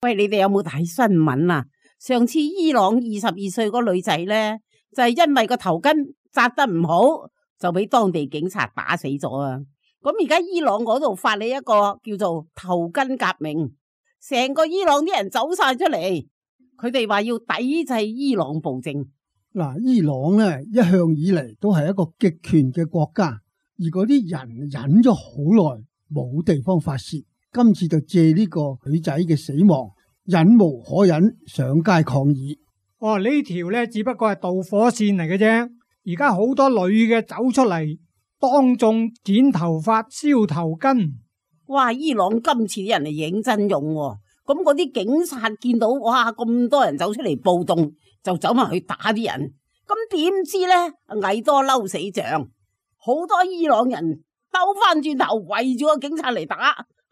喂，你哋有冇睇新聞啊？上次伊朗22歲個女仔呢，就係因為個頭巾紮得唔好，就俾當地警察打死咗啊！咁而家伊朗嗰度發起一個叫做頭巾革命，成個伊朗啲人走晒出嚟，佢哋話要抵制伊朗暴政。嗱，伊朗呢一向以嚟都係一個極權嘅國家，而嗰啲人忍咗好耐，冇地方發洩，今次就借呢個女仔嘅死亡，忍無可忍，上街抗議。哦，呢條呢只不過係導火線嚟嘅啫，而家好多女嘅走出嚟，當眾剪頭髮、燒頭巾。哇！伊朗今次啲人係認真用喎，咁嗰啲警察見到哇咁多人走出嚟暴動，就走埋去打啲人。咁點知呢？蟻多嬲死象，好多伊朗人兜翻轉頭圍住個警察嚟打，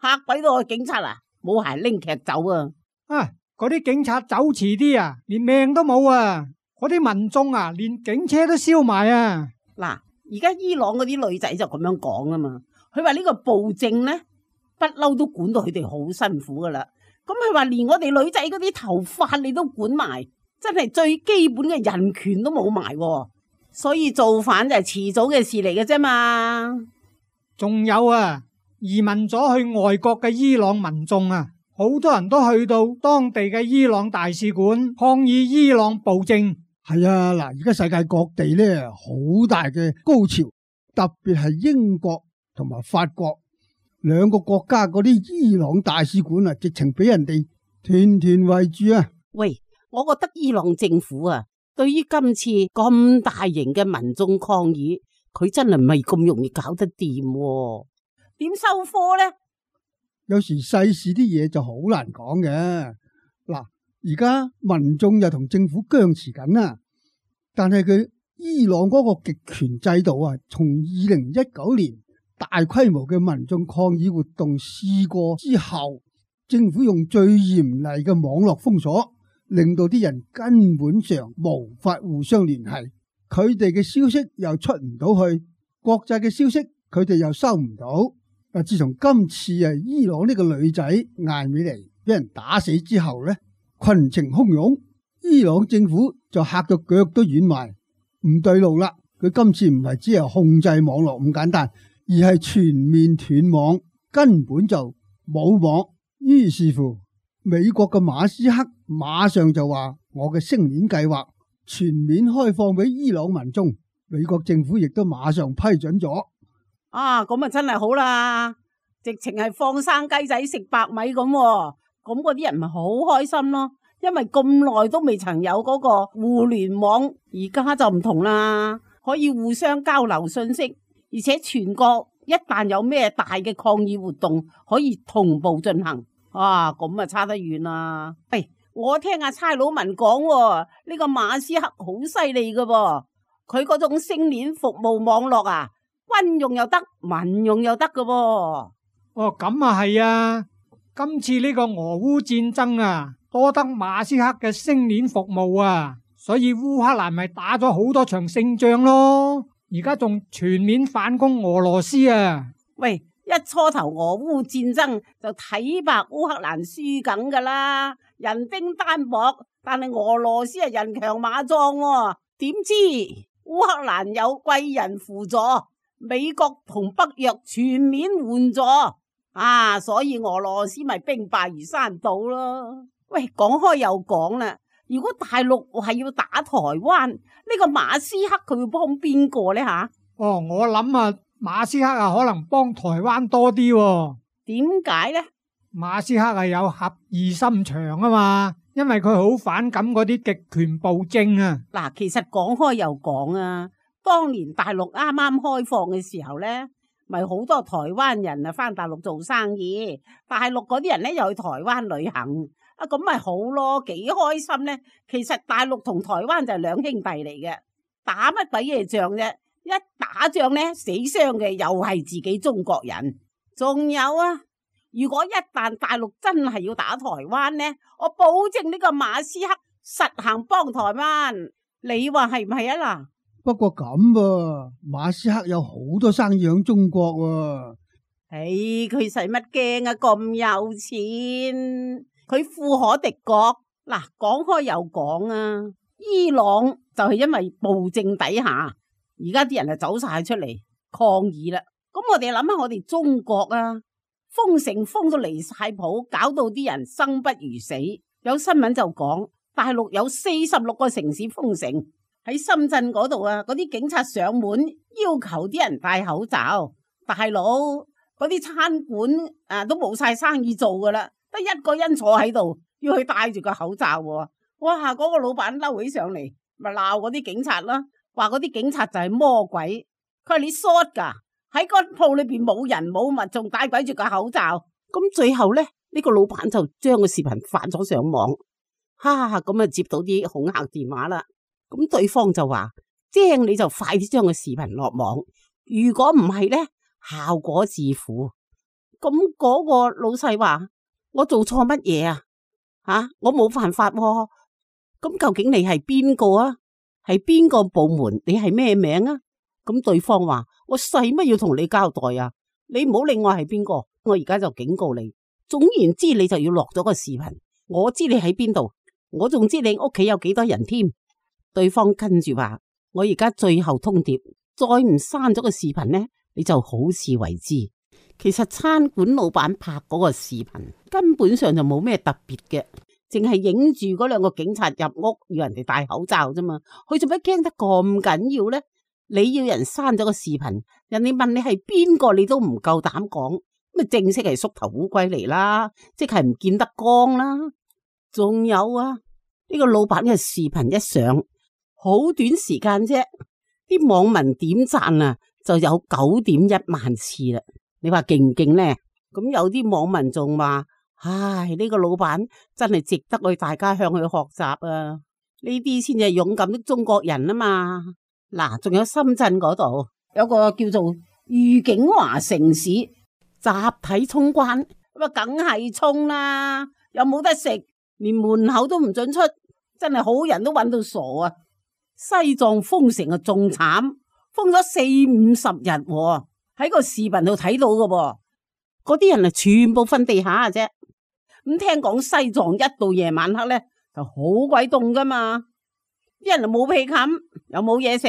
嚇鬼到個警察啊！冇鞋拎劇走啊！啊，嗰啲警察走遲啲啊，連命都冇啊！嗰啲民眾啊，連警車都燒埋啊！嗱，而家伊朗嗰啲女仔就咁樣講啊嘛，佢話呢個暴政呢，不嬲都管到佢哋好辛苦噶啦。咁佢話連我哋女仔嗰啲頭髮你都管埋，真係最基本嘅人權都冇埋，所以造反就係遲早嘅事嚟嘅啫嘛。仲有啊，移民咗去外國嘅伊朗民眾啊，好多人都去到當地嘅伊朗大使館抗議伊朗暴政。係啊，嗱，而家世界各地呢好大嘅高潮，特別係英國同埋法國兩個國家嗰啲伊朗大使館啊，直情俾人哋團團圍住啊！喂，我覺得伊朗政府啊，對於今次咁大型嘅民眾抗議，佢真係唔係咁容易搞得掂喎，點收科呢？有時世事啲嘢就好難講嘅。嗱，而家民眾又同政府僵持緊啊，但係佢伊朗嗰個極權制度啊，從2019年大規模嘅民眾抗議活動試過之後，政府用最嚴厲嘅網絡封鎖，令到啲人根本上無法互相聯繫，佢哋嘅消息又出唔到去，國際嘅消息佢哋又收唔到。自從今次伊朗呢個女仔艾美尼俾人打死之後呢，群情洶湧，伊朗政府就嚇到腳都軟埋，唔對路啦。佢今次唔係只係控制網絡咁簡單，而係全面斷網，根本就冇網。於是乎，美國嘅馬斯克馬上就話：我嘅星鏈計劃全面開放俾伊朗民眾。美國政府亦都馬上批准咗。啊，咁啊真係好啦，直情係放生雞仔食白米咁喎，咁嗰啲人咪好開心咯。因為咁耐都未曾有嗰個互聯網，而家就唔同啦，可以互相交流信息，而且全國一旦有咩大嘅抗議活動，可以同步進行。啊，咁啊差得遠啦。喂，我聽阿差佬文講喎，呢個馬斯克好犀利噶噃，佢嗰種星鏈服務網絡啊，軍用又得，民用又得噶噃。哦，咁啊係啊，今次呢個俄烏戰爭啊，多得馬斯克嘅星鏈服務啊，所以烏克蘭咪打咗好多場勝仗咯，而家仲全面反攻俄羅斯啊。喂，一初頭俄烏戰爭就睇白烏克蘭輸緊噶啦，人丁單薄，但係俄羅斯係人強馬壯喎，點知烏克蘭有貴人輔助，美國同北約全面援助啊，所以俄羅斯咪兵敗如山倒咯。喂，講開又講啦，如果大陸係要打台灣，呢個馬斯克佢會幫邊個呢吓？哦，我諗啊，馬斯克啊可能幫台灣多啲喎。點解呢？馬斯克係有俠義心腸啊嘛，因為佢好反感嗰啲極權暴政啊。嗱，其實講開又講啊，當年大陸啱啱開放嘅時候呢，咪好多台灣人啊返大陸做生意，大陸嗰啲人呢又去台灣旅行，啊咁咪好咯，幾開心呢。其實大陸同台灣就係兩兄弟嚟嘅，打乜鬼嘢仗啫？一打仗呢，死傷嘅又係自己中國人。仲有啊，如果一旦大陸真係要打台灣呢，我保證呢個馬斯克實行幫台灣，你話係唔係啊嗱？不過咁噃，馬斯克有好多生意響中國喎。佢使乜驚啊？咁有錢，佢富可敵國。嗱，講開又講啊，伊朗就係因為暴政底下，而家啲人就走晒出嚟抗議啦。咁我哋諗下我哋中國啊，封城封到離晒譜，搞到啲人生不如死。有新聞就講大陸有46個城市封城，喺深圳嗰度啊，嗰啲警察上門要求啲人戴口罩。大佬，嗰啲餐館都冇晒生意做噶啦，得一個人坐喺度，要去戴住個口罩喎。哇！嗰個老闆嬲起上嚟，咪鬧嗰啲警察啦，話嗰啲警察就係魔鬼。佢話你 short 噶，喺個鋪裏邊冇人冇物，仲戴鬼住個口罩。咁最後咧，呢個老闆就將個視頻發咗上網，咁啊接到啲恐嚇電話啦。咁對方就話：精你就快啲將個視頻落網，如果唔係咧，效果自負。咁嗰個老細話：我做錯乜嘢啊？我冇犯法喎。咁究竟你係邊個啊？係邊個部門？你係咩名啊？咁對方話：我使乜要同你交代啊？你唔好理我係邊個，我而家就警告你。總言之，你就要落咗個視頻，我知你喺邊度，我仲知你屋企有幾多人添。對方跟住話：我而家最後通牒，再唔刪咗個視頻呢，你就好自為之。其實餐館老闆拍嗰個視頻根本上就冇咩特別嘅，淨係影住嗰兩個警察入屋要人哋戴口罩啫嘛。佢做乜驚得咁緊要呢？你要人刪咗個視頻，人哋問你係邊個，你都唔夠膽講，咁正式係縮頭烏龜嚟啦，即係唔見得光啦。仲有啊，呢個老闆嘅視頻一上，好短時間啫，啲網民點讚啊就有9.1萬次啦。你話勁唔勁呢？咁有啲網民仲話：唉，呢個老闆真係值得去大家向佢學習啊！呢啲先至係勇敢的中國人啊嘛！嗱，仲有深圳嗰度有個叫做愉景華城市集體衝關，咁啊梗係衝啦，又冇得食，連門口都唔准出，真係好人都揾到傻啊！西藏封城啊仲慘，封咗40-50日喎。喺個視頻度睇到嘅噃，嗰啲人啊全部瞓地下啫。咁聽講西藏一到夜晚黑咧就好鬼凍噶嘛，啲人就冇被冚，又冇嘢食，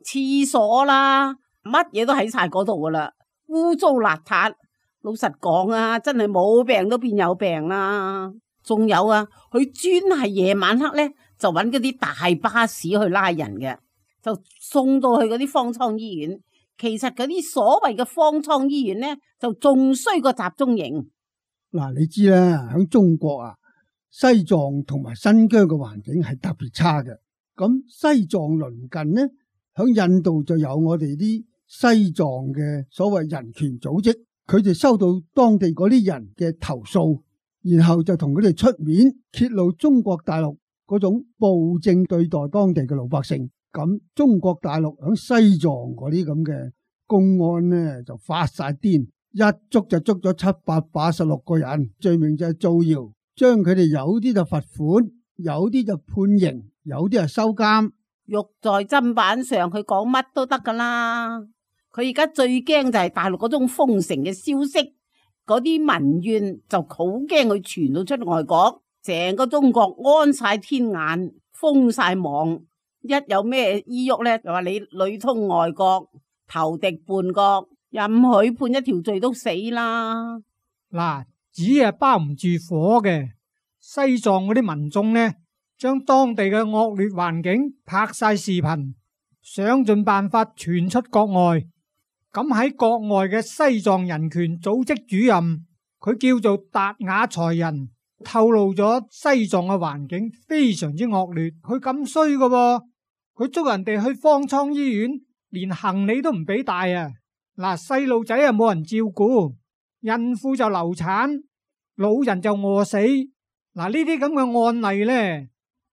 廁所啦，乜嘢都喺晒嗰度噶啦，污糟邋遢。老實講啊，真係冇病都變有病啦。仲有啊，佢專係夜晚黑咧就揾嗰啲大巴士去拉人嘅，就送到去嗰啲方艙醫院。其實嗰啲所謂嘅方艙醫院咧，就仲衰過集中營。嗱，你知啦，喺中國啊，西藏同埋新疆嘅環境係特別差嘅。咁西藏鄰近呢，喺印度就有我哋啲西藏嘅所謂人權組織，佢哋收到當地嗰啲人嘅投訴，然後就同佢哋出面揭露中國大陸嗰種暴政對待當地嘅老百姓。咁中國大陸喺西藏嗰啲咁嘅公安呢，就發晒癲，一捉就捉咗786個人，罪名就係造謠，將佢哋有啲就罰款，有啲就判刑，有啲就收監。肉在砧板上，佢講乜都得噶啦。佢而家最驚就係大陸嗰種封城嘅消息，嗰啲民怨就好驚佢傳到出外國，成個中國安晒天眼，封晒網。一有咩依郁咧，就話你裏通外國，投敵叛國，任許判一條罪都死啦。嗱，紙係包唔住火嘅。西藏嗰啲民眾呢，將當地嘅惡劣環境拍晒視頻，想盡辦法傳出國外。咁喺國外嘅西藏人權組織主任，佢叫做達雅才人，透露咗西藏嘅環境非常之惡劣。佢咁衰㗎喎，佢捉人哋去方艙醫院，連行李都唔俾帶啊！嗱，細路仔啊冇人照顧，孕婦就流產，老人就餓死。嗱，呢啲咁嘅案例呢，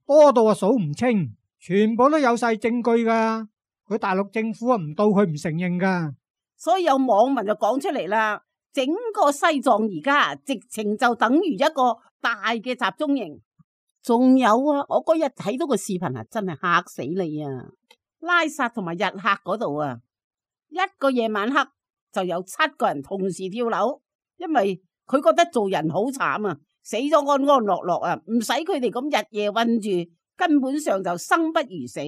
多到數唔清，全部都有晒證據噶。佢大陸政府啊唔到佢唔承認噶。所以有網民就講出嚟啦，整個西藏而家直情就等於一個大嘅集中營。仲有啊，我嗰日睇到個視頻啊，真係嚇死你啊！拉薩同埋日喀嗰度啊，一個夜晚黑就有7個人同時跳樓，因為佢覺得做人好慘啊，死咗安安樂樂啊，唔使佢哋咁日夜韞住，根本上就生不如死。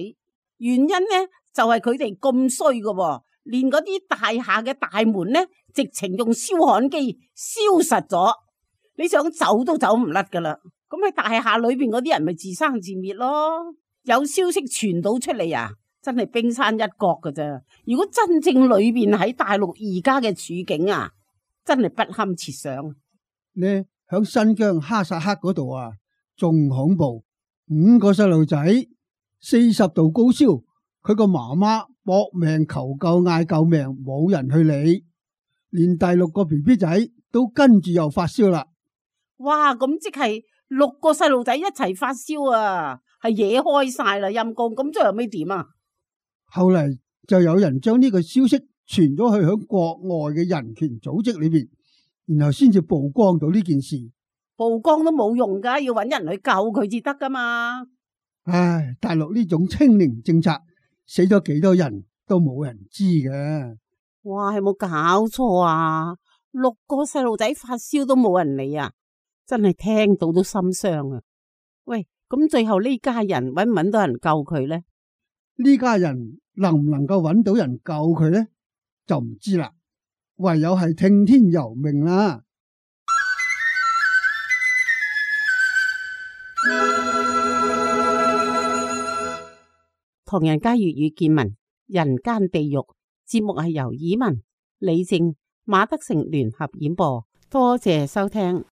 原因呢就係佢哋咁衰噶，連嗰啲大廈嘅大門呢，直情用燒焊機燒實咗，你想走都走唔甩噶啦。咁喺大廈裏邊嗰啲人咪自生自滅咯。有消息傳到出嚟啊，真係冰山一角噶咋。如果真正裏邊喺大陸而家嘅處境啊，真係不堪設想。呢響新疆哈薩克嗰度啊，仲恐怖。5個細路仔40度高燒，佢個媽媽搏命求救嗌救命，冇人去理，連第6個 BB 仔都跟住又發燒啦。哇，咁即係6個細路仔一齊發燒啊，係惹開晒啦，陰公。咁最後尾點啊？後嚟就有人將呢個消息傳咗去響國外嘅人權組織裏邊，然後先至曝光到呢件事。曝光都冇用噶，要搵人去救佢至得噶嘛。唉，大陸呢種清零政策死咗幾多人都冇人知嘅。哇，係冇搞錯啊！6個細路仔發燒都冇人理啊，真係聽到都心傷啊！喂，咁最後呢家人搵唔搵到人救佢呢？呢家人能唔能夠搵到人救佢呢？就唔知啦，唯有係聽天由命啦。唐人街粵語見聞，人間地獄節目係由以文、李正、馬德成聯合演播，多謝收聽。